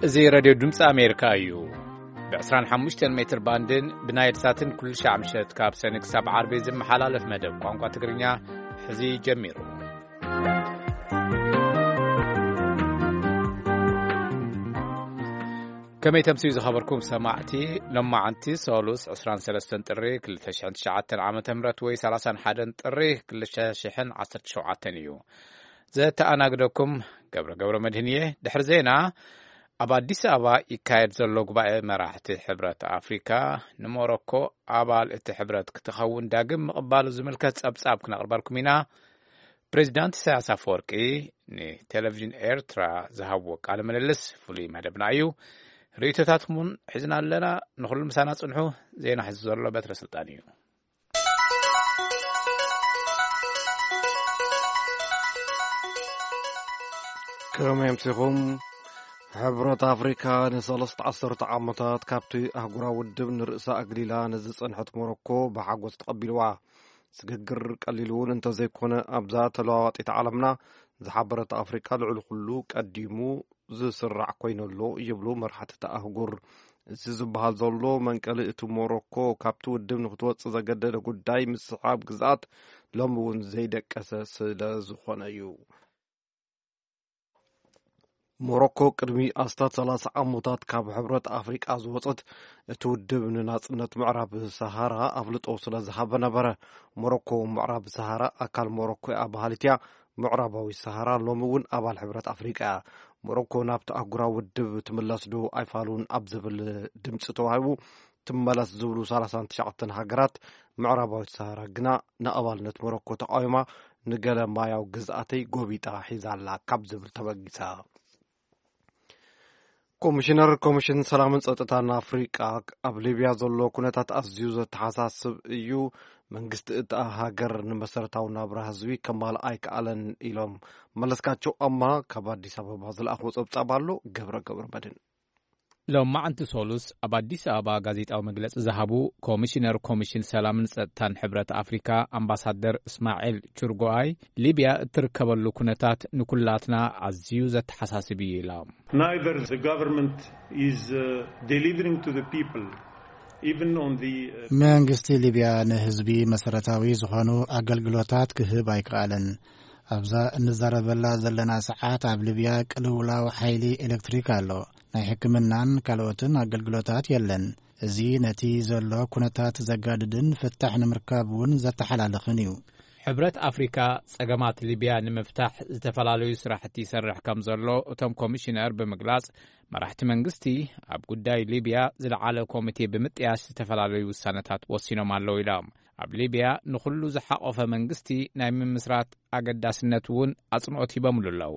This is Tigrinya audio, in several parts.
እዚ ሬድዮ ድምፂ ኣሜሪካ እዩ። ብ25 ሜትር ባንድን ብናይል ሳትን ኩሉ ሻዕ ምሸት ካብ ሰኒ ክሳብ ዓርቢ ዝመሓላለፍ መደብ ቋንቋ ትግርኛ ሕዚ ጀሚሩ። ከመይ ተምስዩ ዝኸበርኩም ሰማዕቲ፣ ሎማዓንቲ ሰሉስ ዕስራን ሰለስተን ጥሪ ክልተ ሽሕን ትሽዓተን ዓመተ ምህረት ወይ ሠላሳን ሓደን ጥሪ ክልተ ሽሕን ዓሰርተ ሸውዓተን እዩ። ዘተኣናግደኩም ገብረ ገብረ መድህን እየ። ድሕሪ ዜና፣ ኣብ ኣዲስ ኣበባ ይካየድ ዘሎ ጉባኤ መራሕቲ ሕብረት ኣፍሪካ ንሞሮኮ ኣባል እቲ ሕብረት ክትኸውን ዳግም ምቕባሉ ዝምልከት ጸብጻብ ክነቕርበልኩም ኢና። ፕሬዚዳንት ኢሳያስ ኣፈወርቂ ንቴሌቪዥን ኤርትራ ዝሃብዎ ቃለ ምልልስ ፍሉይ መደብና እዩ። ርእይቶታትኩምን ሒዝና ኣለና። ንኹሉ ምሳና ጽንሑ። ዜና ሒዙ ዘሎ በትረ ስልጣን እዩ። ከመይ ኣምሲኹም? ሕብረት ኣፍሪካ ንሰለስተ ዓሰርተ ዓመታት ካብቲ ኣህጉራዊ ውድብ ንርእሳ ኣግሊላ ንዝጸንሐት ሞሮኮ ብሓጎስ ተቐቢልዋ። ስግግር ቀሊል እውን እንተዘይኮነ፣ ኣብዛ ተለዋዋጢት ዓለምና ዝሓበረት ኣፍሪካ ልዕሊ ኩሉ ቀዲሙ ዝስራዕ ኮይነሎ ይብሉ መራሕቲ እታ ኣህጉር። እዚ ዝበሃል ዘሎ መንቀሊ እቲ ሞሮኮ ካብቲ ውድብ ንክትወጽእ ዘገደደ ጉዳይ ምስሓብ ግዝኣት ሎሚ እውን ዘይደቀሰ ስለ ዝኾነ እዩ። ሞሮኮ ቅድሚ ኣስታት ሰላሳ ዓመታት ካብ ሕብረት ኣፍሪቃ ዝወጸት፣ እቲ ውድብ ንናጽነት ምዕራብ ሰሃራ ኣፍልጦ ስለ ዝሃበ ነበረ። ሞሮኮ ምዕራብ ሰሃራ ኣካል ሞሮኮ እያ በሃሊት እያ። ምዕራባዊ ሰሃራ ሎሚ እውን ኣባል ሕብረት ኣፍሪቃ እያ። ሞሮኮ ናብቲ ኣህጉራዊ ውድብ ትምለስ ዶ ኣይፋሉን ኣብ ዝብል ድምፂ ተዋሂቡ፣ ትመለስ ዝብሉ ሰላሳን ትሽዓተን ሃገራት፣ ምዕራባዊት ሰሃራ ግና ንኣባልነት ሞሮኮ ተቃዊማ፣ ንገለ ማያዊ ግዝኣተይ ጎቢጣ ሒዛ ኣላ ካብ ዝብል ተበጊሳ። ኮሚሽነር ኮሚሽን ሰላምን ጸጥታን ኣፍሪቃ፣ ኣብ ሊብያ ዘሎ ኩነታት ኣዝዩ ዘተሓሳስብ እዩ፣ መንግስቲ እታ ሃገር ንመሰረታዊ ናብራ ህዝቢ ከማልእ ኣይከኣለን ኢሎም። መለስካቸው ኣማ ካብ ኣዲስ ኣበባ ዝለኣኽዎ ጸብጻብ ኣሎ። ገብረ ገብረ መድን። ሎማዕንቲ ሶሉስ ኣብ ኣዲስ ኣበባ ጋዜጣዊ መግለጺ ዝሃቡ ኮሚሽነር ኮሚሽን ሰላምን ጸጥታን ሕብረት ኣፍሪካ ኣምባሳደር እስማዒል ቹርጎኣይ፣ ሊብያ እትርከበሉ ኩነታት ንኩላትና ኣዝዩ ዘተሓሳስብ እዩ ኢሎም። Neither the government is uh, delivering to the people, even on the uh, መንግስቲ ሊብያ ንህዝቢ መሰረታዊ ዝኾኑ ኣገልግሎታት ክህብ ኣይከኣለን። ኣብዛ እንዛረበላ ዘለና ሰዓት ኣብ ሊብያ ቅልውላው ሓይሊ ኤሌክትሪክ ኣሎ። ናይ ሕክምናን ካልኦትን ኣገልግሎታት የለን። እዚ ነቲ ዘሎ ኩነታት ዘጋድድን ፍታሕ ንምርካብ እውን ዘተሓላልኽን እዩ። ሕብረት ኣፍሪካ ጸገማት ሊብያ ንምፍታሕ ዝተፈላለዩ ስራሕቲ ይሰርሕ ከም ዘሎ እቶም ኮሚሽነር ብምግላጽ፣ መራሕቲ መንግስቲ ኣብ ጉዳይ ሊብያ ዝለዓለ ኮሚቴ ብምጥያሽ ዝተፈላለዩ ውሳነታት ወሲኖም ኣለዉ ኢሎም። ኣብ ሊብያ ንኹሉ ዝሓቆፈ መንግስቲ ናይ ምምስራት ኣገዳስነት እውን ኣጽንኦት ሂበምሉ ኣለዉ።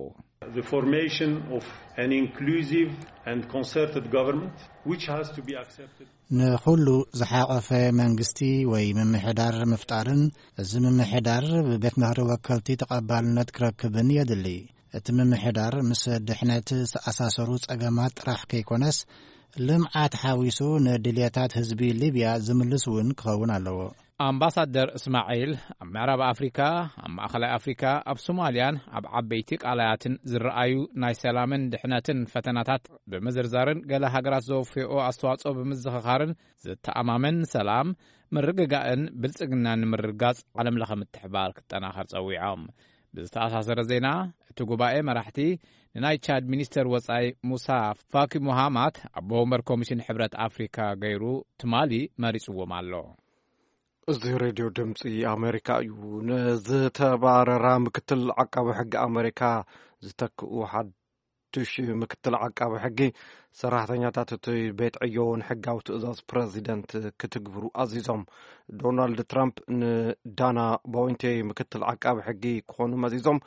The formation of an inclusive and concerted government which has to be accepted. ንኹሉ ዝሓቆፈ መንግስቲ ወይ ምምሕዳር ምፍጣርን፣ እዚ ምምሕዳር ብቤት ምኽሪ ወከልቲ ተቐባልነት ክረክብን የድሊ። እቲ ምምሕዳር ምስ ድሕነት ዝተኣሳሰሩ ጸገማት ጥራሕ ከይኮነስ፣ ልምዓት ሓዊሱ ንድልየታት ህዝቢ ሊብያ ዝምልስ እውን ክኸውን ኣለዎ። ኣምባሳደር እስማዒል፣ ኣብ ምዕራብ ኣፍሪካ፣ ኣብ ማእኸላይ ኣፍሪካ፣ ኣብ ሶማልያን ኣብ ዓበይቲ ቃላያትን ዝረኣዩ ናይ ሰላምን ድሕነትን ፈተናታት ብምዝርዛርን ገለ ሃገራት ዘወፍኦ ኣስተዋጽኦ ብምዝኽኻርን፣ ዝተኣማመን ሰላም፣ ምርግጋእን ብልጽግናን ንምርግጋጽ ዓለም ለኸ ምትሕባር ክጠናኸር ጸዊዖም። ብዝተኣሳሰረ ዜና፣ እቲ ጉባኤ መራሕቲ ንናይ ቻድ ሚኒስተር ወጻኢ ሙሳ ፋኪ ሙሃማት ኣቦ ወንበር ኮሚሽን ሕብረት ኣፍሪካ ገይሩ ትማሊ መሪጽዎም ኣሎ። እዚ ሬድዮ ድምፂ ኣሜሪካ እዩ። ንዝተባረራ ምክትል ዓቃቢ ሕጊ ኣሜሪካ ዝተክኡ ሓዱሽ ምክትል ዓቃቢ ሕጊ፣ ሰራሕተኛታት እቲ ቤት ዕዮ ንሕጋዊ ትእዛዝ ፕረዚደንት ክትግብሩ ኣዚዞም። ዶናልድ ትራምፕ ንዳና ቦይንቴ ምክትል ዓቃቢ ሕጊ ክኾኑ መዚዞም፣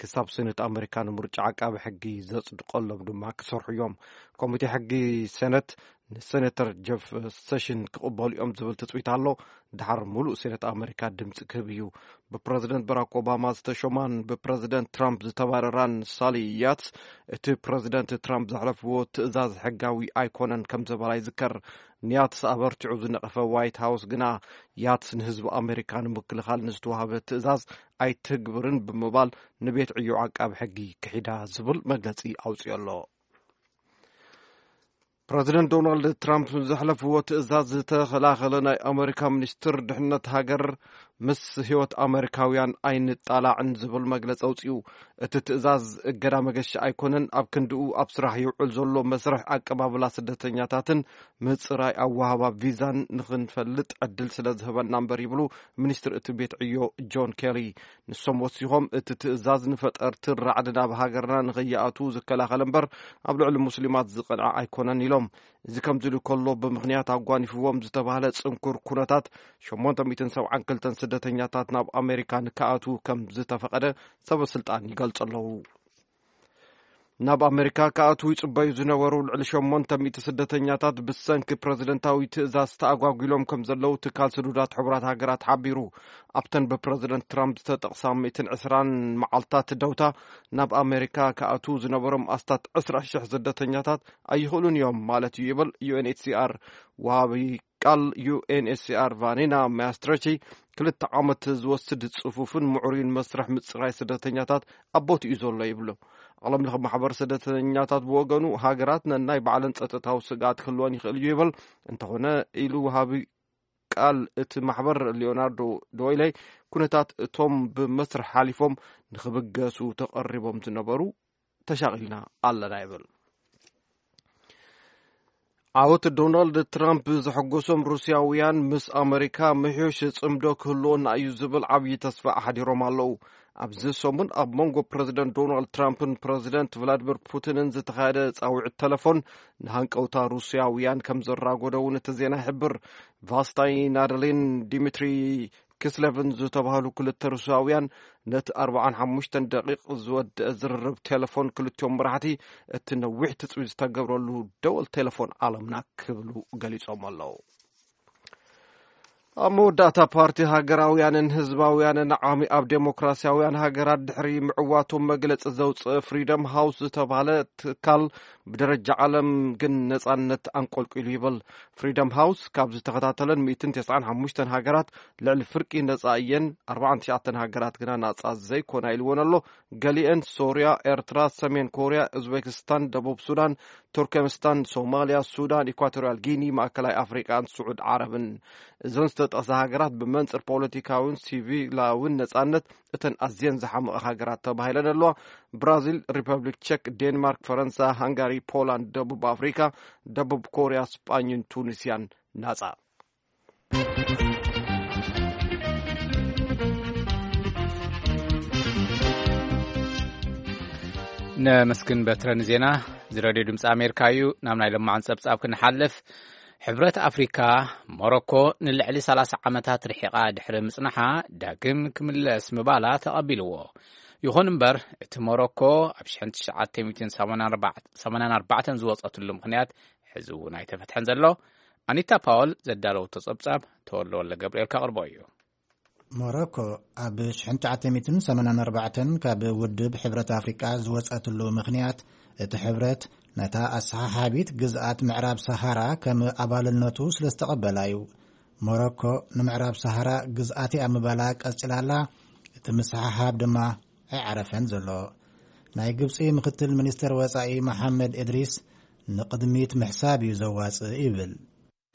ክሳብ ሴኔት ኣሜሪካ ንምርጫ ዓቃቢ ሕጊ ዘጽድቀሎም ድማ ክሰርሑ እዮም። ኮሚቴ ሕጊ ሴኔት ንሴኔተር ጀፍ ሴሽን ክቕበሉ እዮም ዝብል ትጽቢት ኣሎ። ድሓር ሙሉእ ሴኔት ኣሜሪካ ድምፂ ክህብ እዩ። ብፕረዚደንት ባራክ ኦባማ ዝተሾማን ብፕረዚደንት ትራምፕ ዝተባረራን ሳሊ ያትስ፣ እቲ ፕረዚደንት ትራምፕ ዘሕለፍዎ ትእዛዝ ሕጋዊ ኣይኮነን ከም ዝበላ ይዝከር። ንያትስ ኣበርቲዑ ዝነቐፈ ዋይት ሃውስ ግና፣ ያትስ ንህዝቢ ኣሜሪካ ንምክልኻል ንዝተዋህበ ትእዛዝ ኣይትግብርን ብምባል፣ ንቤት ዕዮ ዓቃቢ ሕጊ ክሒዳ ዝብል መግለጺ ኣውጺኦ ኣሎ። ፕረዚደንት ዶናልድ ትራምፕ ዘሕለፍዎ ትእዛዝ ዝተኸላኸለ ናይ ኣመሪካ ሚኒስትር ድሕነት ሃገር፣ ምስ ህይወት ኣመሪካውያን ኣይንጣላዕን ዝብል መግለጺ ኣውጺኡ። እቲ ትእዛዝ እገዳ መገሻ ኣይኮነን፣ ኣብ ክንድኡ ኣብ ስራሕ ይውዕል ዘሎ መስርሕ ኣቀባብላ ስደተኛታትን ምጽራይ ኣወሃባ ቪዛን ንኽንፈልጥ ዕድል ስለ ዝህበና እምበር ይብሉ ሚኒስትር እቲ ቤት ዕዮ ጆን ኬሪ። ንሶም ወሲኾም፣ እቲ ትእዛዝ ንፈጠርትን ራዕድን ኣብ ሃገርና ንኸይኣትዉ ዝከላኸል እምበር፣ ኣብ ልዕሊ ሙስሊማት ዝቐንዐ ኣይኮነን ኢሎም። እዚ ከምዚ ኢሉ ከሎ፣ ብምኽንያት ኣጓኒፍዎም ዝተባህለ ጽንኩር ኩነታት፣ ሸሞንተ ሚእትን ሰብዓን ክልተን ስደተኛታት ናብ ኣሜሪካ ንክኣትዉ ከም ዝተፈቐደ ሰበ ስልጣን ይገልጹ ኣለዉ። ናብ ኣሜሪካ ክኣትዉ ይጽበዩ ዝነበሩ ልዕሊ ሸሞንተ ሚእቲ ስደተኛታት ብሰንኪ ፕረዚደንታዊ ትእዛዝ ተኣጓጒሎም ከም ዘለዉ ትካል ስዱዳት ሕቡራት ሃገራት ሓቢሩ። ኣብተን ብፕረዚደንት ትራምፕ ዝተጠቕሳ ሚእትን ዕስራን መዓልታት ደውታ፣ ናብ ኣሜሪካ ክኣትዉ ዝነበሮም ኣስታት ዕስራ ሽሕ ስደተኛታት ኣይኽእሉን እዮም ማለት እዩ ይብል ዩ ኤን ኤች ሲ ኣር። ወሃቢ ቃል ዩ ኤን ኤች ሲ ኣር ቫኒና ማስትረቺ፣ ክልተ ዓመት ዝወስድ ጽፉፍን ምዕሩይን መስርሕ ምጽራይ ስደተኛታት ኣብ ቦትኡ ዘሎ ይብሉ። ዓለም ለኸ ማሕበር ስደተኛታት ብወገኑ፣ ሃገራት ነናይ ባዕለን ጸጥታዊ ስግኣት ክህልወን ይኽእል እዩ ይብል። እንተኾነ፣ ኢሉ ወሃቢ ቃል እቲ ማሕበር ሊዮናርዶ ዶይለይ፣ ኩነታት እቶም ብመስርሕ ሓሊፎም ንኽብገሱ ተቐሪቦም ዝነበሩ ተሻቒልና ኣለና ይብል። ዓወት ዶናልድ ትራምፕ ዘሐጎሶም ሩስያውያን፣ ምስ ኣመሪካ ምሕዮሽ ጽምዶ ክህልወና እዩ ዝብል ዓብዪ ተስፋ ኣሕዲሮም ኣለዉ። ኣብዚ ሰሙን ኣብ መንጎ ፕረዚደንት ዶናልድ ትራምፕን ፕረዚደንት ቭላድሚር ፑቲንን ዝተኻየደ ጻውዒት ተለፎን፣ ንሃንቀውታ ሩስያውያን ከም ዘራጎደ እውን እቲ ዜና ይሕብር። ቫስታይ ናደሊን ዲሚትሪ ኪስሌቭን ዝተባህሉ ክልተ ሩስያውያን፣ ነቲ ኣርብዓን ሓሙሽተን ደቂቕ ዝወደአ ዝርርብ ቴሌፎን ክልቲኦም መራሕቲ፣ እቲ ነዊሕ ትጽቢት ዝተገብረሉ ደወል ቴሌፎን ዓለምና ክብሉ ገሊጾም ኣለዉ። ኣብ መወዳእታ፣ ፓርቲ ሃገራውያንን ህዝባውያንን ዓሚ ኣብ ዴሞክራሲያውያን ሃገራት ድሕሪ ምዕዋቶም መግለጺ ዘውጽእ ፍሪደም ሃውስ ዝተባህለ ትካል፣ ብደረጃ ዓለም ግን ነጻነት ኣንቆልቂሉ ይብል። ፍሪደም ሃውስ ካብ ዝተኸታተለን ሚእትን ተስዓን ሓሙሽተን ሃገራት፣ ልዕሊ ፍርቂ ነጻ እየን፣ ኣርባዓን ትሽዓተን ሃገራት ግና ናጻ ዘይኮና ኢልወን ኣሎ። ገሊአን ሶርያ፣ ኤርትራ፣ ሰሜን ኮርያ፣ ኡዝቤክስታን፣ ደቡብ ሱዳን፣ ቱርክሜስታን፣ ሶማልያ፣ ሱዳን፣ ኢኳቶርያል ጊኒ፣ ማእከላይ ኣፍሪቃን ስዑድ ዓረብን። እዘን ዝተጠቕሳ ሃገራት ብመንጽር ፖለቲካውን ሲቪላውን ነጻነት እተን ኣዝየን ዝሓመቐ ሃገራት ተባሂለን ኣለዋ። ብራዚል፣ ሪፐብሊክ ቸክ፣ ዴንማርክ፣ ፈረንሳ፣ ሃንጋሪ፣ ፖላንድ፣ ደቡብ ኣፍሪካ፣ ደቡብ ኮርያ፣ ስጳኝን ቱኒስያን ናጻ። ነመስግን በትረ ንዜና። እዚ ሬድዮ ድምፂ ኣሜሪካ እዩ። ናብ ናይ ለማዓን ጸብጻብ ክንሓልፍ፣ ሕብረት ኣፍሪካ፣ ሞሮኮ ንልዕሊ ሰላሳ ዓመታት ርሒቓ ድሕሪ ምጽናሓ ዳግም ክምለስ ምባላ ተቐቢልዎ። ይኹን እምበር፣ እቲ ሞሮኮ ኣብ ሽሕን ትሽዓተ ሚእትን ሰማንያን ኣርባዕተን ዝወጸትሉ ምኽንያት ሕዚ እውን ኣይተፈትሐን ዘሎ። ኣኒታ ፓወል ዘዳለወቶ ጸብጻብ ተወልደ ወልደ ገብርኤል ከቕርቦ እዩ። ሞሮኮ ኣብ ሽሕን ትሽዓተ ሚእትን ሰማንያን ኣርባዕተን ካብ ውድብ ሕብረት ኣፍሪቃ ዝወጸትሉ ምኽንያት፣ እቲ ሕብረት ነታ ኣሰሓሓቢት ግዝኣት ምዕራብ ሰሃራ ከም ኣባልነቱ ስለ ዝተቐበላ እዩ። ሞሮኮ ንምዕራብ ሰሃራ ግዝኣት እያ ምባላ ቀጺላ ኣላ። እቲ ምስሕሓብ ድማ ኣይዓረፈን ዘሎ። ናይ ግብጺ ምክትል ሚኒስትር ወጻኢ መሓመድ እድሪስ፣ ንቕድሚት ምሕሳብ እዩ ዘዋጽእ ይብል።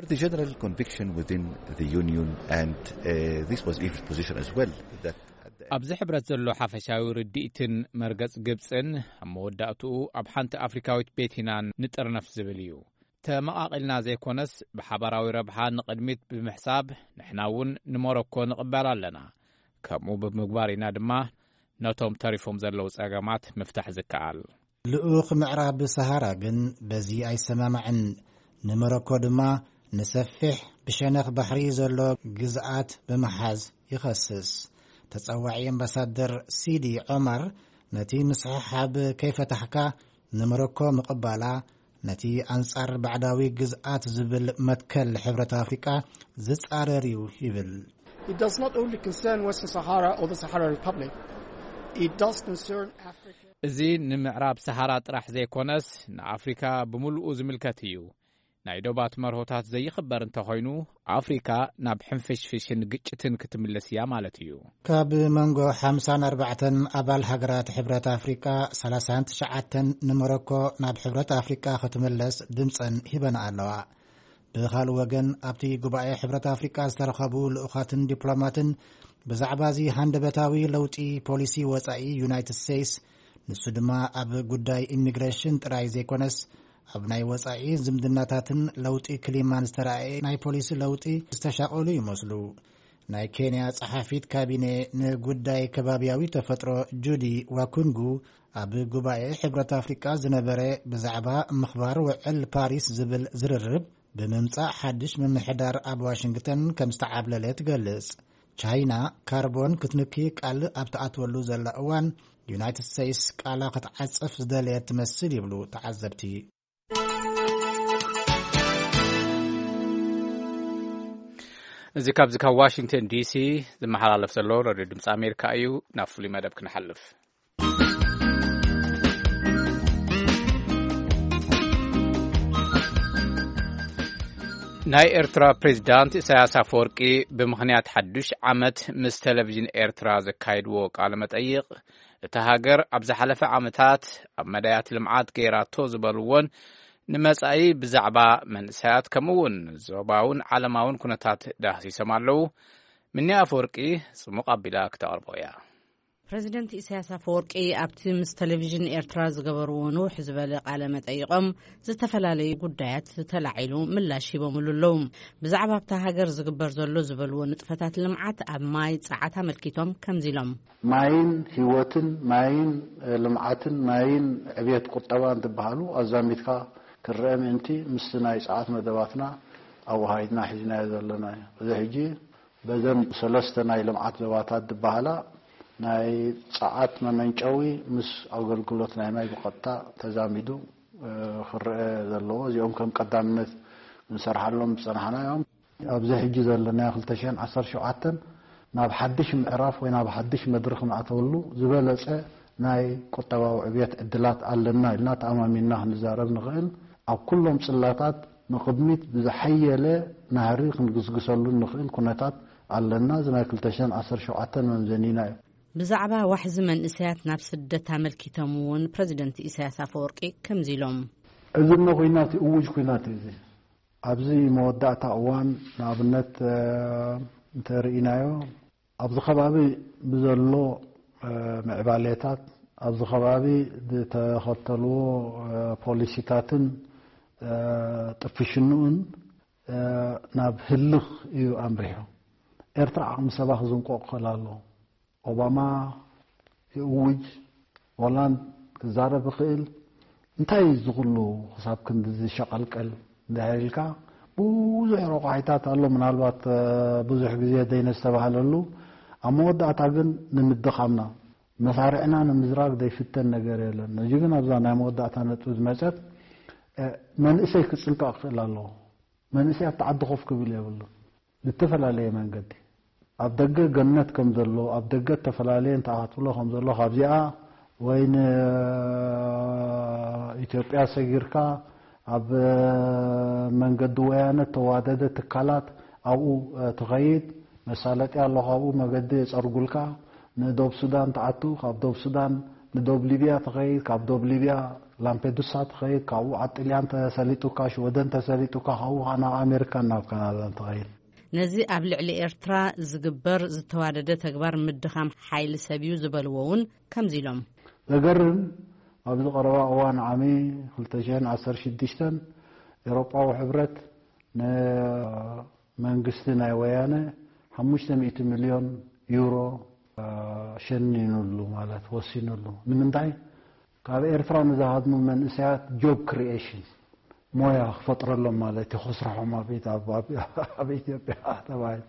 The general conviction within the union, and uh, this was Egypt's position as well, that at the end ኣብዚ ሕብረት ዘሎ ሓፈሻዊ ርድኢትን መርገጽ ግብጽን፣ ኣብ መወዳእትኡ ኣብ ሓንቲ ኣፍሪካዊት ቤት ኢና ንጥርነፍ ዝብል እዩ። ተመቓቒልና ዘይኮነስ፣ ብሓባራዊ ረብሓ ንቕድሚት ብምሕሳብ፣ ንሕና እውን ንሞሮኮ ንቕበል ኣለና። ከምኡ ብምግባር ኢና ድማ ነቶም ተሪፎም ዘለዉ ጸገማት ምፍታሕ ዝከኣል። ልኡኽ ምዕራብ ሰሃራ ግን በዚ ኣይሰማማዕን። ንሞሮኮ ድማ ንሰፊሕ ብሸነኽ ባሕሪ ዘሎ ግዝኣት ብምሓዝ ይኸስስ። ተጸዋዒ ኣምባሳደር ሲዲ ዖማር፣ ነቲ ምስሕሓብ ከይፈታሕካ ንሞሮኮ ምቕባላ፣ ነቲ ኣንጻር ባዕዳዊ ግዝኣት ዝብል መትከል ሕብረት ኣፍሪቃ ዝጻረር እዩ ይብል። It does not only concern Western Sahara or the Sahara Republic, it does concern Africa. እዚ ንምዕራብ ሰሃራ ጥራሕ ዘይኮነስ፣ ንኣፍሪካ ብምሉኡ ዝምልከት እዩ። ናይ ዶባት መርሆታት ዘይኽበር እንተኾይኑ፣ ኣፍሪካ ናብ ሕንፍሽፍሽን ግጭትን ክትምለስ እያ ማለት እዩ። ካብ መንጎ ሓምሳን ኣርባዕተን ኣባል ሃገራት ሕብረት ኣፍሪቃ፣ ሰላሳን ትሽዓተን ንሞሮኮ ናብ ሕብረት ኣፍሪቃ ክትምለስ ድምፀን ሂበን ኣለዋ። ብኻልእ ወገን፣ ኣብቲ ጉባኤ ሕብረት ኣፍሪቃ ዝተረኸቡ ልኡኻትን ዲፕሎማትን ብዛዕባ እዚ ሃንደበታዊ ለውጢ ፖሊሲ ወጻኢ ዩናይትድ ስቴትስ፣ ንሱ ድማ ኣብ ጉዳይ ኢሚግሬሽን ጥራይ ዘይኮነስ፣ ኣብ ናይ ወጻኢ ዝምድናታትን ለውጢ ክሊማን ዝተራእየ ናይ ፖሊሲ ለውጢ ዝተሻቐሉ ይመስሉ። ናይ ኬንያ ጸሓፊት ካቢኔ ንጉዳይ ከባቢያዊ ተፈጥሮ ጁዲ ዋኩንጉ፣ ኣብ ጉባኤ ሕብረት ኣፍሪቃ ዝነበረ ብዛዕባ ምኽባር ውዕል ፓሪስ ዝብል ዝርርብ፣ ብምምጻእ ሓድሽ ምምሕዳር ኣብ ዋሽንግተን ከም ዝተዓብለለ ትገልጽ። ቻይና ካርቦን ክትንኪ ቃል ኣብ ትኣትወሉ ዘላ እዋን፣ ዩናይትድ ስቴትስ ቃላ ክትዓጽፍ ዝደለየት ትመስል ይብሉ ተዓዘብቲ። እዚ ካብዚ ካብ ዋሽንግተን ዲሲ ዝመሓላለፍ ዘሎ ሬድዮ ድምፂ ኣሜሪካ እዩ። ናብ ፍሉይ መደብ ክንሓልፍ። ናይ ኤርትራ ፕሬዚዳንት ኢሳያስ ኣፈወርቂ ብምኽንያት ሓዱሽ ዓመት ምስ ቴሌቪዥን ኤርትራ ዘካየድዎ ቃለ መጠይቕ፣ እታ ሃገር ኣብ ዝሓለፈ ዓመታት ኣብ መዳያት ልምዓት ገይራቶ ዝበልዎን ንመጻኢ ብዛዕባ መንእሰያት ከምኡውን ዞባውን ዓለማውን ኩነታት ዳህሲሶም ኣለዉ። ምንያ ኣፈወርቂ ጽሙቕ ኣቢላ ክተቕርቦ እያ። ፕረዚደንት ኢሳያስ ኣፈወርቂ ኣብቲ ምስ ቴሌቪዥን ኤርትራ ዝገበርዎ ንውሕ ዝበለ ቃለ መጠይቖም፣ ዝተፈላለዩ ጉዳያት ተላዒሉ ምላሽ ሂቦምሉ ኣለዉ። ብዛዕባ ኣብታ ሃገር ዝግበር ዘሎ ዝበልዎ ንጥፈታት ልምዓት ኣብ ማይ ጸዓት ኣመልኪቶም ከምዚ ኢሎም። ማይን ህይወትን፣ ማይን፣ እ፣ ልምዓትን፣ ማይን ዕብየት ቁጠባን ዝበሃሉ ኣዛሚድካ ክረአ ምእንቲ፣ ምስቲ ናይ ጸዓት መደባትና ኣወሃሂድና ሒዝናዮ ዘለና እዩ። እዚ ሕጂ በዘን ሰለስተ ናይ ልምዓት ዞባታት ዝበሃላ፣ ናይ ጸዓት መመንጨዊ ምስ ኣገልግሎት ናይ ማይ ብቐጥታ ተዛሚዱ፣ እ፣ ክረአ ዘለዎ፣ እዚኦም ከም ቀዳምነት ክንሰርሓሎም ዝጸናሕና እዮም። ኣብዚ ሕጂ ዘለናዮ ክልተ ሽሕን ዓሰርተ ሸውዓተን ናብ ሓድሽ ምዕራፍ ወይ ናብ ሓድሽ መድረኽ ንኣተወሉ ዝበለጸ ናይ ቁጠባዊ ዕብየት ዕድላት ኣለና ኢልና ተኣማሚንና ክንዛረብ ንኽእል። ኣብ ኩሎም ጽላታት ንቕድሚት ብዝሓየለ ናህሪ ክንግስግሰሉ ንኽእል ኩነታት ኣለና። እዚ ናይ ክልተ ሽሕን ዓሰርተ ሸውዓተን መምዘኒና እዩ። ብዛዕባ ዋሕዚ መንእሰያት ናብ ስደት ኣመልኪቶም እውን ፕረዚደንት ኢሳያስ ኣፈወርቂ ከምዚ ኢሎም። እዚ እሞ ኩናት እዩ፣ እውጅ ኩናት እዩ እዚ። ኣብዚ መወዳእታ እዋን ንኣብነት፣ እ፣ እንተርኢናዮ፣ ኣብዚ ከባቢ ብዘሎ፣ እ፣ ምዕባሌታት፣ ኣብዚ ከባቢ ዝተኸተልዎ፣ እ፣ ፖሊሲታትን፣ እ፣ ጥፍሽንኡን፣ እ፣ ናብ ህልኽ እዩ ኣምሪሑ። ኤርትራ ዓቕሚ ሰባ ክዝንቆ ክኽእል ኣለዎ። ኦባማ ይእውጅ፣ ሆላንድ ክዛረብ ይኽእል። እንታይ እዩ እዚ ኩሉ ክሳብ ክንድዚ ሸቐልቀል እንድሕር ኢልካ፣ ብዙሕ ረቋሒታት ኣሎ። ምናልባት፣ እ፣ ብዙሕ ግዜ ዘይነስተባህለሉ፣ ኣብ መወዳእታ ግን ንምድኻምና፣ መሳርዕና ንምዝራግ ዘይፍተን ነገር የለን። እዚ ግን ኣብዛ ናይ መወዳእታ ነጥቢ ዝመጸት፣ እ፣ መንእሰይ ክጽንቀቕ ክኽእል ኣለዎ። መንእሰይ ኣብቲ ዓዲ ኮፍ ክብል የብሉን። ብተፈላለየ መንገዲ ኣብ ደገ ገነት ከም ዘሎ፣ ኣብ ደገ እተፈላለየ እንተኣትብሎ ከም ዘሎ፣ ካብዚኣ ወይ ንኢትዮጵያ ሰጊርካ ኣብ መንገዲ ወያነ እተዋደደ ትካላት ኣብኡ፣ እ፣ ትኸይድ፣ መሳለጢ ኣሎ፣ ካብኡ መገዲ የጸርጉልካ። ንዶብ ሱዳን ትኣቱ፣ ካብ ዶብ ሱዳን ንዶብ ሊብያ ትኸይድ፣ ካብ ዶብ ሊብያ ላምፔዱሳ ትኸይድ፣ ካብኡ ኣብ ጥልያን ተሰሊጡካ፣ ሽወደን ተሰሊጡካ፣ ካብኡ ኸዓ ናብ ኣሜሪካን ናብ ካናዳን ትኸይድ። ነዚ ኣብ ልዕሊ ኤርትራ ዝግበር ዝተዋደደ ተግባር ምድኻም ሓይሊ ሰብ እዩ ዝበልዎ እውን ከምዚ ኢሎም። ዘገርም፣ ኣብዚ ቀረባ እዋን ዓሚ ክልተ ሽሕን ዓሰርተ ሽዱሽተን ኤውሮጳዊ ሕብረት ንመንግስቲ ናይ ወያነ ሓሙሽተ ሚእቲ ሚልዮን ዩሮ፣ እ፣ ሸኒኑሉ ማለት ወሲኑሉ። ንምንታይ? ካብ ኤርትራ ንዝሃድሙ መንእሰያት ጆብ ክሪኤሽን፣ ሞያ ክፈጥረሎም ማለት እዩ፣ ክስርሖም ኣብ ኢት-፣ ኣብ፣ ኣብ፣ ኣብ ኢትዮጵያ ተባሂሉ።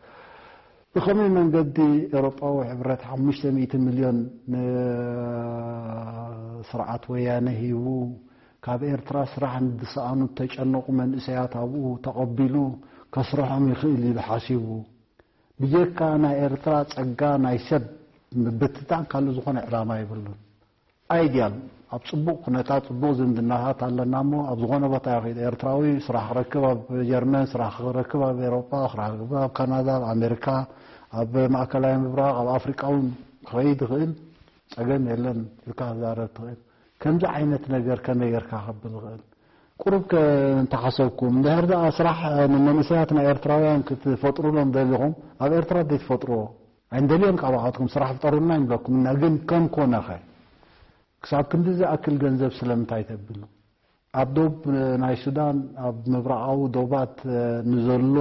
ብኸመይ መንገዲ ኤውሮጳዊ ሕብረት ሓሙሽተ ሚእቲ ሚልዮን ንስርዓት ወያነ ሂቡ፣ ካብ ኤርትራ ስራሕ ንዝሰኣኑ፣ ዝተጨነቑ መንእሰያት ኣብኡ ተቐቢሉ ከስርሖም ይኽእል ኢሉ ሓሲቡ? ብጀካ ናይ ኤርትራ ጸጋ ናይ ሰብ ምብትታን ካልእ ዝኾነ ዕላማ የብሉን። ኣይድያል ኣብ ጽቡቕ ኩነታት፣ ጽቡቕ ዝምድናታት ኣለና እሞ፣ ኣብ ዝኾነ ቦታ ይኸይድ ኤርትራዊ ስራሕ ክረክብ፣ ኣብ ጀርመን ስራሕ ክረክብ፣ ኣብ ኤሮጳ ስራሕ ክረክብ፣ ኣብ ካናዳ፣ ኣብ ኣሜሪካ፣ ኣብ ማእከላይ ምብራቕ፣ ኣብ ኣፍሪቃ እውን ክኸይድ ይኽእል። ጸገም የለን ኢልካ ክዛረብ ትኽእል። ከምዚ ዓይነት ነገር ከመይ ጌርካ ከብል ይኽእል? ቁሩብ ከ እንተሓሰብኩም፣ እንድሕር ደኣ ስራሕ ንመንእሰያት ናይ ኤርትራውያን ክትፈጥሩሎም ደሊኹም፣ ኣብ ኤርትራ ዘይትፈጥርዎ? ኣይንደልዮን፣ ካባኻትኩም ስራሕ ፍጠሩልና ይብለኩም እና፣ ግን ከም ኮነኸ? ክሳብ ክንዲ ዝኣክል ገንዘብ ስለምንታይ ተብሉ? ኣብ ዶብ ናይ ሱዳን፣ ኣብ ምብራቓዊ ዶባት ንዘሎ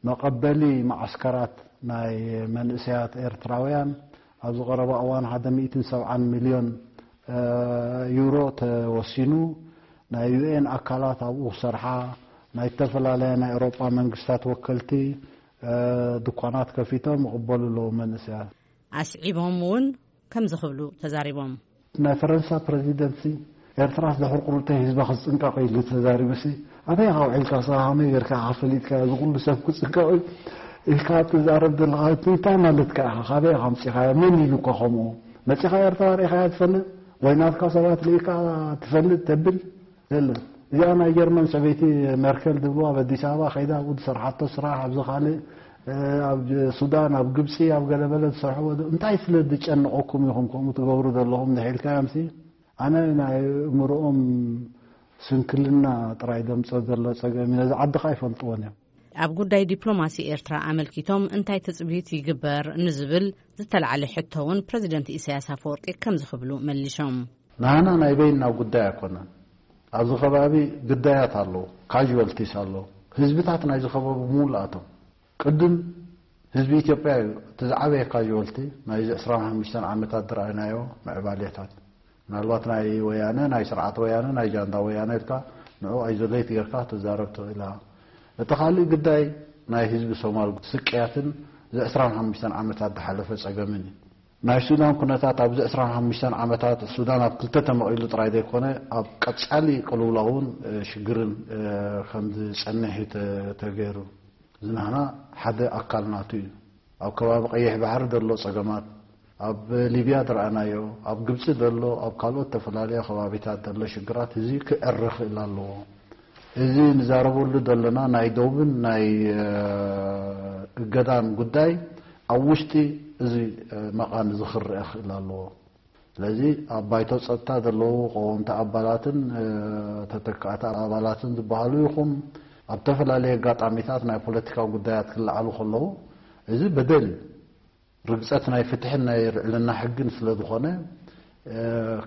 መቐበሊ መዓስከራት ናይ መንእሰያት ኤርትራውያን፣ ኣብዚ ቀረባ እዋን ሓደ ሚእትን ሰብዓን ሚልዮን ዩሮ ተወሲኑ፣ ናይ ዩ ኤን ኣካላት ኣብኡ ክሰርሓ፣ ናይ ዝተፈላለያ ናይ ኤውሮጳ መንግስታት ወከልቲ ድኳናት ከፊቶም ይቕበሉ ኣለዉ መንእሰያት። ኣስዒቦም እውን ከምዚ ክብሉ ተዛሪቦም። ናይ ፈረንሳ ፕረዚደንትሲ፣ ኤርትራስ ድሕሪ ቁሩብተይ ህዝባ ክጽንቀቕ ኢሉ ተዛሪቡሲ፣ ኣበይ ኢኻ ውዒልካ? ንስኻ ከመይ ጌርካ ኢኻ ፈሊጥካ? እዚ ኩሉ ሰብ ክጽንቀቕ ኢልካ ትዛረብ ዘለኻ እንታይ ማለትካ ኢኻ? ካበይ ኢኻ ኣምጺኻዮ? መን ኢሉካ ከምኡ? መጺኻ ኤርትራ ርኢኻያ ትፈልጥ? ወይ ናትካ ሰባት ርኢካ ትፈልጥ ተብል? የለን። እዚኣ ናይ ጀርመን ሰበይቲ ሜርከል ዝብልዋ ኣብ ኣዲስ ኣበባ ከይዳ ኣብኡ ዝሰርሓቶ ስራሕ፣ ኣብዚ ካልእ ኣብ ሱዳን፣ ኣብ ግብጺ፣ ኣብ ገለበለ ዝሰርሕዎ፣ እንታይ ስለ ዝጨንቐኩም ኢኹም ከምኡ ትገብሩ ዘለኹም እንድሕር ኢልካዮምሲ፣ ኣነ ናይ እምርኦም ስንክልና ጥራይ ደምጾ ዘሎ ጸገም እዩ። ነዚ ዓዲ ከኣ ኣይፈልጥዎን እዮም። ኣብ ጉዳይ ዲፕሎማሲ ኤርትራ ኣመልኪቶም እንታይ ትጽቢት ይግበር ንዝብል ዝተላዕለ ሕቶ እውን ፕረዚደንት ኢሳያስ ኣፈወርቂ ከምዚ ክብሉ መሊሾም። ናህና ናይ በይንና ጉዳይ ኣይኮነን። ኣብዚ ከባቢ ግዳያት ኣለዉ፣ ካዥዋልቲስ ኣለዉ። ህዝብታት ናይዚ ከባቢ ብምሉኣቶም። ቅድም ህዝቢ ኢትዮጵያ እዩ እቲ ዝዓበየ ካዥዋልቲ ናይዚ ዕስራን ሓሙሽተን ዓመታት ዝረኣይናዮ ምዕባሌታት። ምናልባት ናይ ወያነ፣ ናይ ስርዓት ወያነ፣ ናይ ጃንዳ ወያነ ኢልካ ንዑ ኣይዞሌት ጌርካ ትዛረብ ትኽእል ኢኻ። እቲ ካልእ ግዳይ ናይ ህዝቢ ሶማል ስቅያትን እዚ ዕስራን ሓሙሽተን ዓመታት ዝሓለፈ ጸገምን እዩ። ናይ ሱዳን ኩነታት ኣብዚ ዕስራን ሓሙሽተን ዓመታት ሱዳን ኣብ ክልተ ተመቒሉ ጥራይ ዘይኮነ ኣብ ቀጻሊ ቅልውላውን ሽግርን ከም ዝጸንሕ እዩ ተገይሩ። እዚ ናህና ሓደ ኣካል ናቱ እዩ። ኣብ ከባቢ ቀይሕ ባሕሪ ዘሎ ጸገማት፣ ኣብ ሊብያ ዝረኣናዮ፣ ኣብ ግብጺ ዘሎ፣ ኣብ ካልኦት ተፈላለየ ከባቢታት ዘሎ ሽግራት እዚ ክዕረ ክእል ኣለዎ። እዚ ንዛረበሉ ዘለና ናይ ዶብን ናይ እገዳን ጉዳይ ኣብ ውሽጢ እዚ መቓን እዚ ክረአ ክእል ኣለዎ። ስለዚ ኣብ ባይቶ ጸጥታ ዘለዉ ቀወምቲ ኣባላትን ተተካእቲ ኣባላትን ዝበሃሉ ይኹም ኣብ ተፈላለየ ኣጋጣሚታት ናይ ፖለቲካ ጉዳያት ክለዓሉ ከለዉ እዚ በደል እዩ። ርግጸት ናይ ፍትሕን ናይ ልዕልና ሕግን ስለ ዝኾነ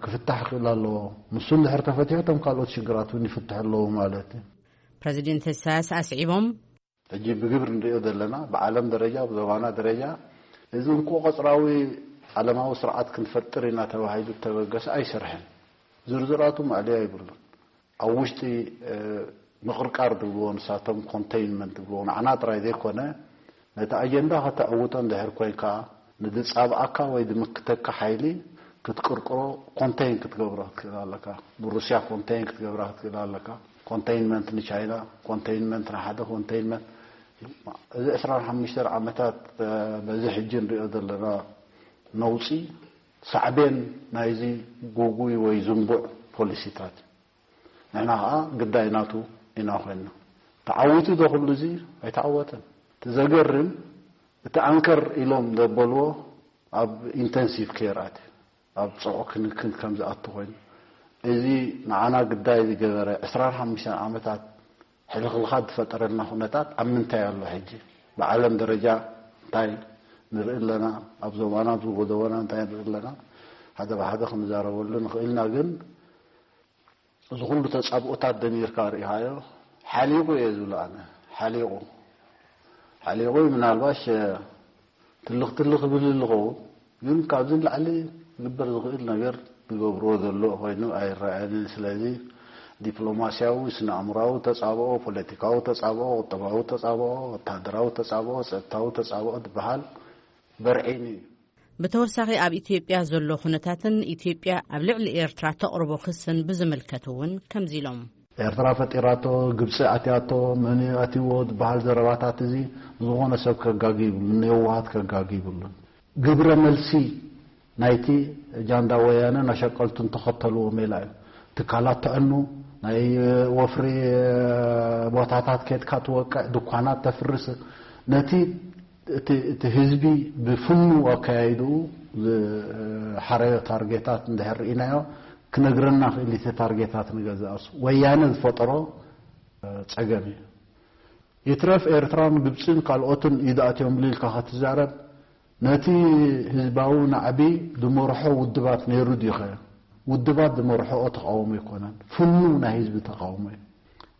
ክፍታሕ ክእል ኣለዎ። ንሱ እንድሕር ተፈቲሑ እቶም ካልኦት ሽግራት እውን ይፍትሑ ኣለዉ ማለት እዩ። ፕረዚደንት ኢሳያስ ኣስዒቦም። ሕጂ ብግብሪ ንሪኦ ዘለና ብዓለም ደረጃ ብዞባና ደረጃ እዚ እንኮ ቀጽራዊ ዓለማዊ ስርዓት ክንፈጥር ኢና ተባሂሉ ተበገሰ ኣይሰርሐን። ዝርዝራቱ ማእለያ ይብሉን። ኣብ ውሽጢ ምቕርቃር ዝብልዎ ንሳቶም ኮንቴይንመንት ዝብልዎ ንዓና ጥራይ ዘይኮነ ነቲ ኣጀንዳ ከተዕውቶ እንድሕር ኮይንካ ንድጻብኣካ ወይ ድምክተካ ሓይሊ ክትቅርቅሮ ኮንቴይን ክትገብሮ ክትክእል ኣለካ። ንሩስያ ኮንቴይን ክትገብራ ክትክእል ኣለካ። ኮንቴይንመንት ንቻይና፣ ኮንቴይንመንት ንሓደ ኮንቴይንመንት እዚ ዕስራን ሓሙሽተን ዓመታት በዚ ሕጂ ንሪኦ ዘለና ነውጺ ሳዕቤን ናይዚ ጉጉይ ወይ ዝንቡዕ ፖሊሲታት እዩ። ንሕና ኸኣ ግዳይ ናቱ ኢና ኮይንና። ተዓዊቱ ዶ ኩሉ እዚ? ኣይተዓወተን። እቲ ዘገርም እቲ ኣንከር ኢሎም ዘበልዎ ኣብ ኢንተንሲቭ ኬር ኣትዩ ኣብ ጽዑቕ ክንክን ከም ዝኣቱ ኮይኑ እዚ ንዓና ግዳይ ዝገበረ ዕስራን ሓሙሽተን ዓመታት ሕልኽልኻት ዝፈጠረልና ኩነታት ኣብ ምንታይ ኣሎ ሕጂ? ብዓለም ደረጃ እንታይ ንርኢ ኣለና? ኣብ ዞባና ኣብ ዝጎደቦና እንታይ ንርኢ ኣለና? ሓደ ብሓደ ክንዛረበሉ ንኽእል ኢና፣ ግን እዚ ኩሉ ተጻብኦታት ደሚርካ ርኢኻዮ ሓሊቑ እየ ዝብሎ ኣነ። ሓሊቑ ሓሊቑ ምናልባሽ ትልኽ ትልኽ ክብል ዝኸውን ግን ካብዚ ንላዕሊ ክግበር ዝኽእል ነገር ዝገብርዎ ዘሎ ኮይኑ ኣይረኣየንን። ስለዚ ዲፕሎማስያዊ፣ ስነ ኣእምራዊ ተጻብኦ፣ ፖለቲካዊ ተጻብኦ፣ ቁጠባዊ ተጻብኦ፣ ወታደራዊ ተጻብኦ፣ ጸጥታዊ ተጻብኦ ዝበሃል በርዒኑ እዩ። ብተወሳኺ ኣብ ኢትዮጵያ ዘሎ ኩነታትን ኢትዮጵያ ኣብ ልዕሊ ኤርትራ ተቕርቦ ክስን ብዝምልከት እውን ከምዚ ኢሎም። ኤርትራ ፈጢራቶ፣ ግብጺ ኣትያቶ፣ መን እዩ ኣትይዎ ዝበሃል ዘረባታት እዚ ዝኾነ ሰብ ከጋጊ ይብሉን ንየዋሃት ከጋጊ ይብሉን። ግብረ መልሲ ናይቲ ጃንዳ ወያነ ናሸቀልቱን ተኸተልዎ ሜላ እዩ። ትካላት ተዕኑ፣ ናይ ወፍሪ ቦታታት ኬድካ ትወቅዕ፣ ድኳናት ተፍርስ። ነቲ እቲ ህዝቢ ብፍኑ ኣካያይድኡ ዝሓረዮ ታርጌታት እንድሕር ርኢናዮ ክነግረና ክእል። እቲ ታርጌታት ንገዛእሱ ወያነ ዝፈጠሮ ጸገም እዩ። ይትረፍ ኤርትራን ግብፅን ካልኦትን ኢዳእትዮም ኢልካ ክትዛረብ፣ ነቲ ህዝባዊ ናዕቢ ዝመርሖ ውድባት ነይሩ ድዩኸ? ውድባት ዝመርሖኦ ተቃውሞ ኣይኮነን፣ ፍኑ ናይ ህዝቢ ተቃውሞ እዩ።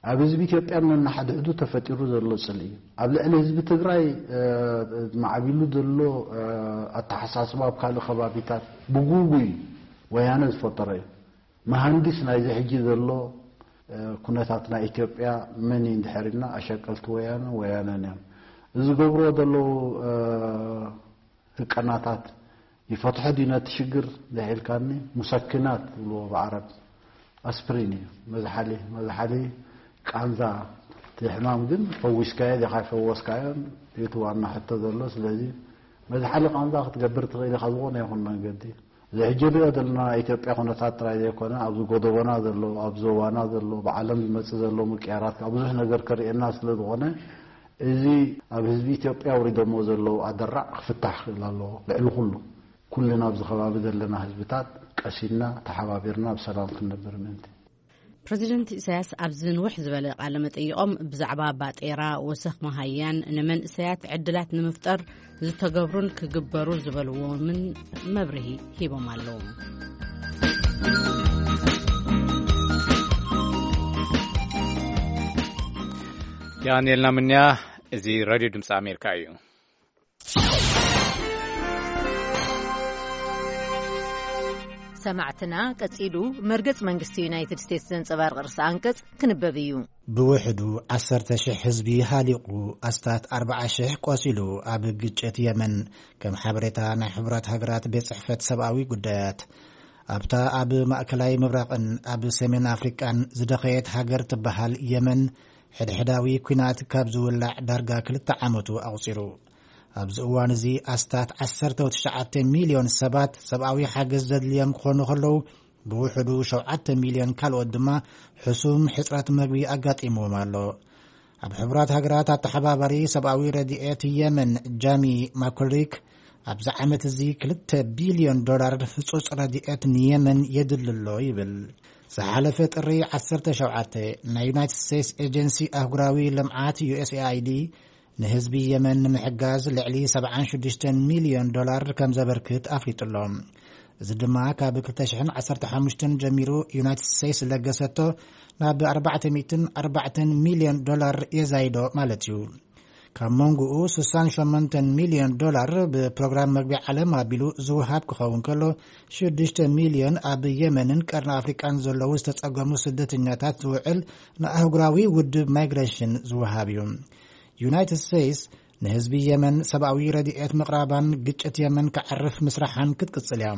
ኣብ ህዝቢ ኢትዮጵያ ነናሓድሕዱ ተፈጢሩ ዘሎ ፅልኢ እዩ። ኣብ ልዕሊ ህዝቢ ትግራይ ማዕቢሉ ዘሎ ኣተሓሳስባ ኣብ ካልእ ከባቢታት ብጉጉይ ወያነ ዝፈጠረ እዩ። መሃንዲስ ናይዚ ሕጂ ዘሎ ኩነታት ናይ ኢትዮጵያ መን እዩ እንድሕር ኢልና ኣሸቀልቲ ወያነ ወያነን እዮም። እዚ ዝገብርዎ ዘለዉ ህቀናታት ይፈትሖ ድዩ ነቲ ሽግር እንድሕር ኢልካኒ፣ ሙሰኪናት ዝብልዎ ብዓረብ ኣስፕሪን እዩ። መዝሓሊ መዝሓሊ ቃንዛ፣ እቲ ሕማም ግን ፈዊስካዮ ዲኻ ኣይፈወስካዮን እቲ ዋና ሕቶ ዘሎ። ስለዚ መዝሓሊ ቃንዛ ክትገብር ትኽእል ኢኻ ዝኾነ ይኹን መንገዲ። እዚ ሕጂ ንሪኦ ዘለና ናይ ኢትዮጵያ ኩነታት ጥራይ ዘይኮነ ኣብዚ ጎደቦና ዘሎ፣ ኣብ ዞባና ዘሎ፣ ብዓለም ዝመፅእ ዘሎ ምቅያራት ከዓ ብዙሕ ነገር ከርእየና ስለ ዝኾነ እዚ ኣብ ህዝቢ ኢትዮጵያ ኣውሪዶሞ ዘለዉ ኣደራዕ ክፍታሕ ክእል ኣለዎ። ልዕሊ ኩሉ ኩልና ኣብዚ ከባቢ ዘለና ህዝብታት ቀሲንና ተሓባቢርና ብሰላም ክንነብር ምእንቲ። ፕረዚደንት ኢሳያስ ኣብዚ ንውሕ ዝበለ ቃለ መጠይቖም ብዛዕባ ባጤራ፣ ወሰኽ መሃያን ንመንእሰያት ዕድላት ንምፍጠር ዝተገብሩን ክግበሩ ዝበልዎምን መብርሂ ሂቦም ኣለዉ። ያንኤልና ምንያ። እዚ ሬድዮ ድምፂ ኣሜሪካ እዩ። ሰማዕትና፣ ቀጺሉ መርገጽ መንግስቲ ዩናይትድ ስቴትስ ዘንጸባርቕ ርእሰ ኣንቀጽ ክንበብ እዩ። ብውሕዱ ዓሰርተ ሽሕ ህዝቢ ሃሊቑ፣ ኣስታት ኣርብዓ ሽሕ ቆሲሉ ኣብ ግጭት የመን፣ ከም ሓበሬታ ናይ ሕቡራት ሃገራት ቤት ጽሕፈት ሰብኣዊ ጉዳያት። ኣብታ ኣብ ማእከላይ ምብራቕን ኣብ ሰሜን ኣፍሪቃን ዝደኸየት ሃገር ትበሃል የመን፣ ሕድሕዳዊ ኲናት ካብ ዝውላዕ ዳርጋ ክልተ ዓመቱ ኣቑጺሩ። ኣብዚ እዋን እዚ ኣስታት ዓሰርተ ትሽዓተ ሚልዮን ሰባት ሰብኣዊ ሓገዝ ዘድልዮም ክኾኑ ከለዉ፣ ብውሕዱ ሸውዓተ ሚልዮን ካልኦት ድማ ሕሱም ሕጽረት መግቢ ኣጋጢምዎም ኣሎ። ኣብ ሕቡራት ሃገራት ኣተሓባባሪ ሰብኣዊ ረድኤት የመን ጃሚ ማኮልሪክ፣ ኣብዚ ዓመት እዚ ክልተ ቢልዮን ዶላር ህጹጽ ረድኤት ንየመን የድሊ ኣሎ ይብል። ዝሓለፈ ጥሪ ዓሰርተ ሸውዓተ፣ ናይ ዩናይትድ ስቴትስ ኤጀንሲ ኣህጉራዊ ልምዓት ዩ ኤስ ኤ ኣይ ዲ ንህዝቢ የመን ንምሕጋዝ ልዕሊ ሰብዓን ሽዱሽተን ሚልዮን ዶላር ከም ዘበርክት ኣፍሊጡ ኣሎ። እዚ ድማ ካብ ክልተ ሽሕን ዓሰርተ ሓሙሽተን ጀሚሩ ዩናይትድ ስቴትስ ዝለገሰቶ ናብ ኣርባዕተ ሚእትን ኣርባዕተን ሚልዮን ዶላር የዛይዶ ማለት እዩ። ካብ መንጎኡ ስሳን ሸሞንተን ሚልዮን ዶላር ብፕሮግራም መግቢ ዓለም ኣቢሉ ዝወሃብ ክኸውን ከሎ፣ ሽዱሽተ ሚልዮን ኣብ የመንን ቀርኒ ኣፍሪቃን ዘለዉ ዝተጸገሙ ስደተኛታት ዝውዕል ንኣህጉራዊ ውድብ ማይግሬሽን ዝወሃብ እዩ። ዩናይትድ ስቴትስ ንህዝቢ የመን ሰብኣዊ ረድኤት ምቕራባን ግጭት የመን ክዓርፍ ምስራሓን ክትቅጽል እያ።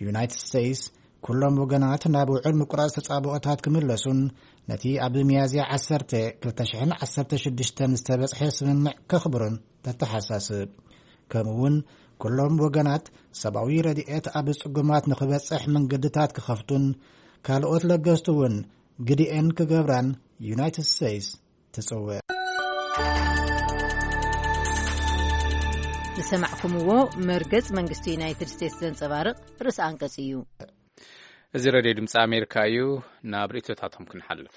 ዩናይትድ ስቴትስ ኩሎም ወገናት ናብ ውዕል ምቁራጽ ተጻብኦታት ክምለሱን ነቲ ኣብ ሚያዝያ ዓሰርተ፣ ክልተ ሽሕን ዓሰርተ ሽዱሽተን ዝተበጽሐ ስምምዕ ከኽብሩን ተተሓሳስብ። ከምኡ እውን ኩሎም ወገናት ሰብኣዊ ረድኤት ኣብ ጽጉማት ንኽበጽሕ መንገድታት ክኸፍቱን ካልኦት ለገስቲ እውን ግዲኤን ክገብራን ዩናይትድ ስቴትስ ትጽውዕ። ዝሰማዕኩምዎ መርገጽ መንግስቲ ዩናይትድ ስቴትስ ዘንጸባርቕ ርእሲ ኣንቀጽ እዩ። እዚ ሬድዮ ድምፂ ኣሜሪካ እዩ። ናብ ርእይቶታቶም ክንሓልፍ።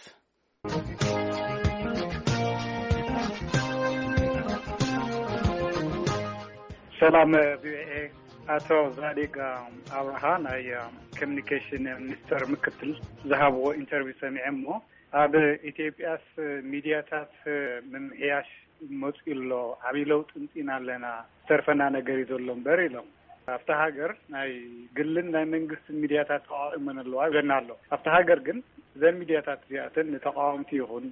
ሰላም ቪኦኤ፣ ኣቶ ዛዲግ ኣብርሃ ናይ ኮሚኒኬሽን ሚኒስተር ምክትል ዝሃብዎ ኢንተርቪው ሰሚዐ እሞ፣ ኣብ ኢትዮጵያስ ሚድያታት ምምሕያሽ መፂኡ ኣሎ፣ ዓብዪ ለውጢ ምፂና ኣለና፣ ዝተርፈና ነገር እዩ ዘሎ እምበር ኢሎም። ኣብታ ሃገር ናይ ግልን ናይ መንግስትን ሚድያታት ተቃዋእመን ኣለዋ ይብለና ኣሎ። ኣብታ ሃገር ግን እዘን ሚድያታት እዚኣተን ንተቃወምቲ ይኹን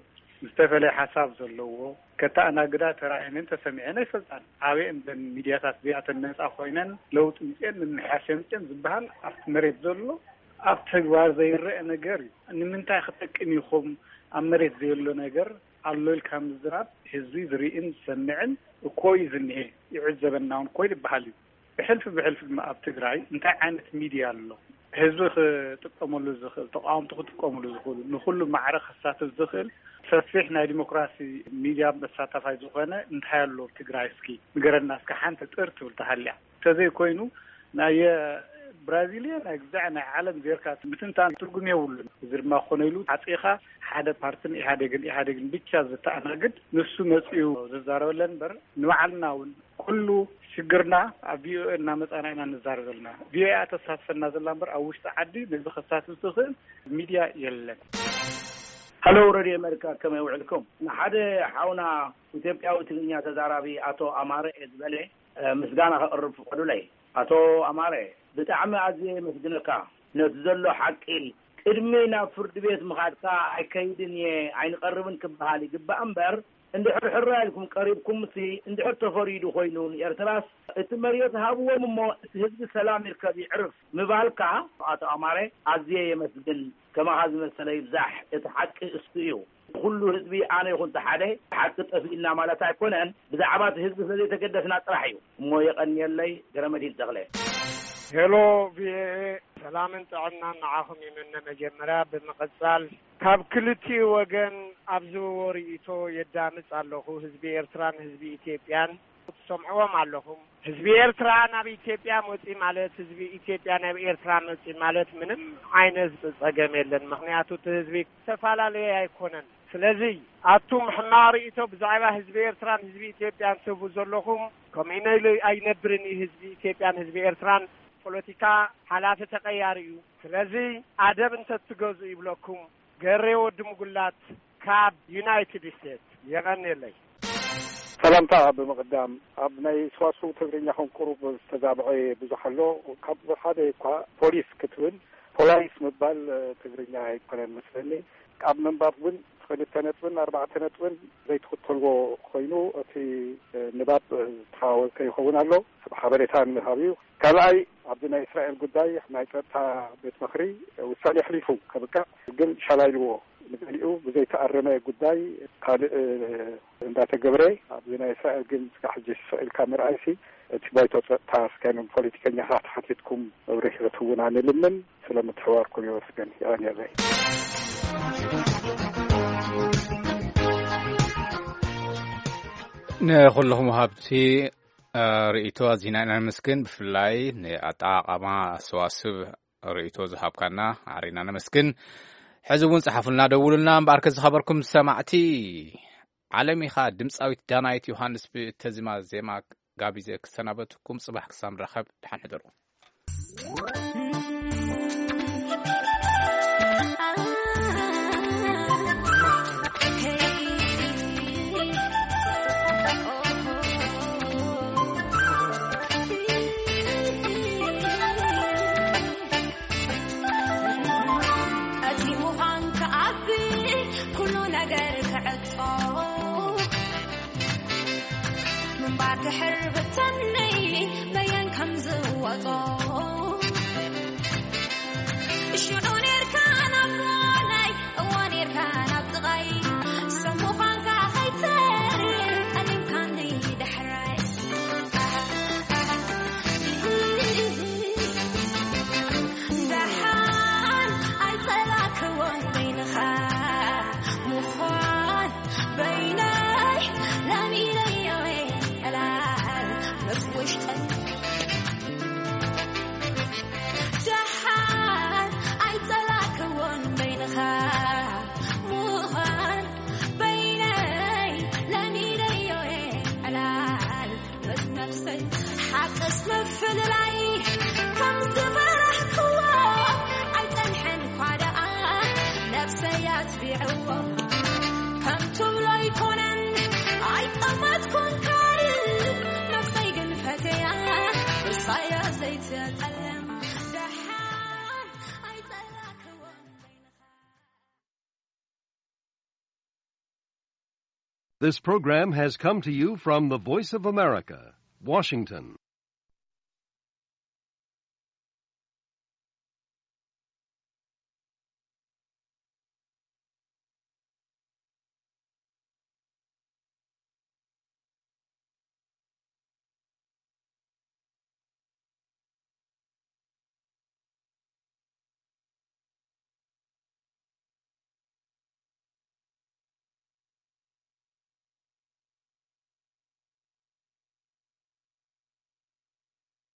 ዝተፈለየ ሓሳብ ዘለዎ ከተኣናግዳ ተራእየንን ተሰሚዐን ኣይፈልጣን። ኣበይ እዘን ሚድያታት እዚኣተን ነፃ ኮይነን ለውጢ ምፅኤን ምምሕያሽ ምፅኤን ዝበሃል ኣብቲ መሬት ዘሎ ኣብ ተግባር ዘይረአ ነገር እዩ። ንምንታይ ክጠቅም ኢኹም ኣብ መሬት ዘየሎ ነገር ኣሎ ኢልካ ምዝራብ ህዝቢ ዝርእን ዝሰምዕን እኮ እዩ ዝኒሄ፣ ይዕዘበና እውን እኮ ይበሃል እዩ። ሕልፊ ብሕልፊ ድማ ኣብ ትግራይ እንታይ ዓይነት ሚድያ ኣሎ፣ ህዝቢ ክጥቀመሉ ዝኽእል፣ ተቃወምቲ ክጥቀምሉ ዝኽእሉ፣ ንኩሉ ማዕረ ክሳትፍ ዝኽእል ሰፊሕ ናይ ዲሞክራሲ ሚድያ መሳታፋይ ዝኾነ እንታይ ኣሎ ኣብ ትግራይ? እስኪ ንገረና፣ እስኪ ሓንቲ ጥር ትብል ተሃልያ። እንተዘይኮይኑ ናይ ብራዚልየ ናይ ግዛዕ ናይ ዓለም ዜርካ ምትንታን ትርጉም የብሉን። እዚ ድማ ክኾነ ኢሉ ሓፂኻ ሓደ ፓርትን ኢህኣዴግን ኢህኣዴግን ብቻ ዝተኣናግድ ንሱ መፂኡ ዝዛረበለን እምበር፣ ንባዕልና እውን ኩሉ ሽግርና ኣብ ቪኦኤ እናመፃና ኢና ንዛረብ ዘለና። ቪኦኤ እያ ተሳትፈና ዘላ እምበር ኣብ ውሽጢ ዓዲ ነዚ ከሳትፍ ዝኽእል ሚድያ የለን። ሃሎ፣ ረድዮ ኣሜሪካ፣ ከመይ ውዕልኩም? ንሓደ ሓውና ኢትዮጵያዊ ትግርኛ ተዛራቢ ኣቶ ኣማረ እየ ዝበለ ምስጋና ከቕርብ ፍቐዱለይ። ኣቶ ኣማረ፣ ብጣዕሚ ኣዝየ የመስግነካ። ነቲ ዘሎ ሓቂ ቅድሚ ናብ ፍርዲ ቤት ምኻድካ ኣይከይድን እየ ኣይንቐርብን ክበሃል ይግባእ እምበር፣ እንድሕር ሕራይ ኢልኩም ቀሪብኩምሲ፣ እንድሕር ተፈሪዱ ኮይኑ ንኤርትራስ እቲ መሬት ሃብዎም እሞ እቲ ህዝቢ ሰላም ይርከብ ይዕርፍ ምባልካ ኣቶ ኣማረ ኣዝየ የመስግን። ከማኻ ዝመሰለ ይብዛሕ። እቲ ሓቂ እሱ እዩ። ኩሉ ህዝቢ ኣነ ይኹን ተሓደ ሓቂ ጠፊእና ማለት ኣይኮነን። ብዛዕባ እቲ ህዝቢ ስለዘይተገደስና ጥራሕ እዩ። እሞ የቐንየለይ። ገረመድሂን ተኽለ። ሄሎ ቪኦኤ፣ ሰላምን ጥዕናን ንዓኹም ይምነ። መጀመርያ ብምቕጻል ካብ ክልቲኡ ወገን ኣብ ዝህቦ ርእይቶ የዳምጽ ኣለኹ። ህዝቢ ኤርትራን ህዝቢ ኢትዮጵያን ትሰምዕዎም ኣለኹም። ህዝቢ ኤርትራ ናብ ኢትዮጵያ መጺ ማለት ህዝቢ ኢትዮጵያ ናብ ኤርትራ መጺ ማለት ምንም ዓይነት ጸገም የለን። ምኽንያቱ እቲ ህዝቢ ዝተፈላለየ ኣይኮነን። ስለዚ ኣቱም ሕማቕ ርእይቶ ብዛዕባ ህዝቢ ኤርትራን ህዝቢ ኢትዮጵያን ትህቡ ዘለኹም ከምኡ ኢነ ኢሉ ኣይነብርን እዩ። ህዝቢ ኢትዮጵያን ህዝቢ ኤርትራን ፖለቲካ ሓላፊ ተቐያሪ እዩ። ስለዚ ኣደብ እንተትገዙ ይብለኩም። ገሬ ወዲ ምጉላት ካብ ዩናይትድ ስቴትስ የቐንየለይ። ሰላምታ። ብምቕዳም ኣብ ናይ ሰዋስው ትግርኛ ከም ቁሩብ ዝተዛብዐ ብዙሕ ኣሎ። ካብ ሓደ እኳ ፖሊስ ክትብል ፖላይስ ምባል ትግርኛ ኣይኮነን መስለኒ። ኣብ ምንባብ እውን ክልተ ነጥብን ኣርባዕተ ነጥብን ዘይትኽተልዎ ኮይኑ እቲ ንባብ ዝተሓዋወሰ ይኸውን ኣሎ። ሰብ ሓበሬታ ንምሃብ እዩ። ካልኣይ ኣብዚ ናይ እስራኤል ጉዳይ ናይ ጸጥታ ቤት ምኽሪ ውሳኔ ኣሕሊፉ ከብቅዕ ግን ሻላ ኢልዎ ንገሊኡ ብዘይተኣረመ ጉዳይ ካልእ እንዳተገብረ ኣብዚ ናይ እስራኤል ግን ስጋዕ ሕጂ ስቕ ኢልካ ምርኣይሲ እቲ ባይቶ ጸጥታ እስካይኖም ፖለቲከኛታት ሓቲትኩም መብርሂ ክትውና ንልምን። ስለ ምትሕዋርኩም የመስግን። የቐንየለይ። ንኹልኹም ወሃብቲ ርእይቶ ኣዚና ኢና ነመስግን። ብፍላይ ንኣጠቓቕማ ሰዋስብ ርእይቶ ዝሃብካና ኣሪና ነመስግን። ሕዚ እውን ጸሓፉልና፣ ደውሉልና። እምበኣርከ ዝኸበርኩም ሰማዕቲ፣ ዓለም ኢኻ ድምጻዊት ዳናይት ዮሃንስ ብእተዚማ ዜማ ጋቢዘ ክሰናበትኩም። ጽባሕ ክሳብ ንራኸብ ደሓን ሕደሩ። እቲ ምዃን ክኣቢ ኩሉ ነገር ክዕጾ ምንባር ድሕር ብተነይ በየን ከም ዝወጾ ሽዑ ኔርካ ናብ ጓናይ እዋ ኔርካ ናብ ጥቓይ ሰብ ምዃንካ ኸይተርፍ ጠሊምካኒ ዳሕራይ ደሓን ኣይጸላእክዎን በይንኻ ምዃን በይነይ ለሚደዮ ዕላል ምስ ውሽጠይ ደሓን ኣይጸላእክዎን በይንኻ ምዃን በይነይ ለሚደዮ ዕላል ምስ ነፍሰይ ሓቅስ ምፍልላይ ከም ዝፈራሕክዎ ኣይጸንሐን እኳ ደኣ ነፍሰይ ኣትቢዕዎ ከም ትብሎ ኣይኮነን ኣይጠመትኩን ካልእ ነፍሰይ ግን ፈትያ እርሳያ ዘይትጸልም ደሓን ኣይጸላእክዎ This program has come to you from the Voice of America, Washington.